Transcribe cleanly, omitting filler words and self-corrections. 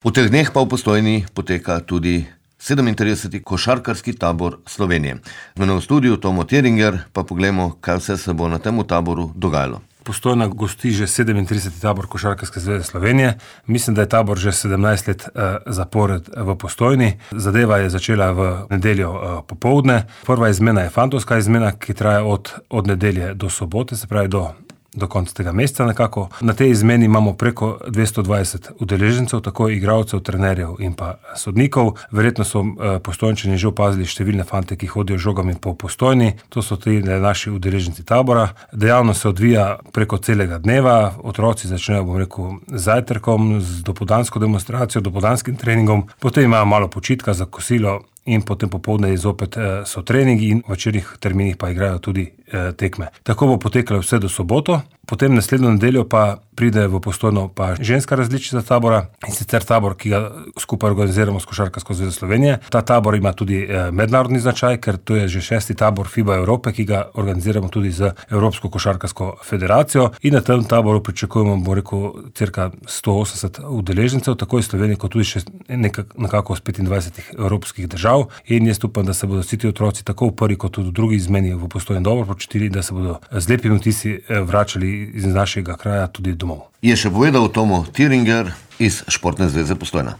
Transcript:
V teh dneh pa v Postojni poteka tudi 37. košarkarski tabor Slovenije. Z mano v studiu Tomo Teringer, pa poglejmo, kaj vse se bo na tem taboru dogajalo. Postojna gosti že 37. tabor Košarkarske zveze Slovenije. Mislim, da je tabor že 17 let zapored v Postojni. Zadeva je začela v nedeljo popoldne. Prva izmena je fantovska izmena, ki traja od nedelje do sobote, se pravi do konca tega meseca nekako. Na tej izmeni imamo preko 220 udeležencev, tako igralcev, trenerjev in pa sodnikov. Verjetno so Postojnčani že opazili številne fante, ki hodijo žogami po Postojni. To so tudi naši udeleženci tabora. Dejavnost se odvija preko celega dneva. Otroci začnejo, z zajtrkom, z dopoldansko demonstracijo, dopoldanskim treningom. Potem imajo malo počitka za kosilo in potem popoldne zopet so treningi in v večernih terminih pa igrajo tudi tekme. Tako bo potekalo vse do soboto. Potem naslednjo nedeljo pa pride v Postojno pa ženska različica tabora, in sicer tabor, ki ga skupaj organiziramo s Košarkarsko zvezo Slovenije. Ta tabor ima tudi mednarodni značaj, ker to je že 6. tabor FIBA Evrope, ki ga organiziramo tudi z Evropsko košarkarsko federacijo, in na tem taboru pričakujemo, cirka 180 udeležencev, tako iz Slovenije, kot tudi še nekako z 25 evropskih držav. In jaz upam, da se bodo vsi ti otroci tako v prvi kot tudi v drugi izmeni v Postojni dobro počutili, da se bodo z lepimi vtisi vračali iz našega kraja tudi domov. Je še povedal Tomo Teringer iz Športne zveze Postojna.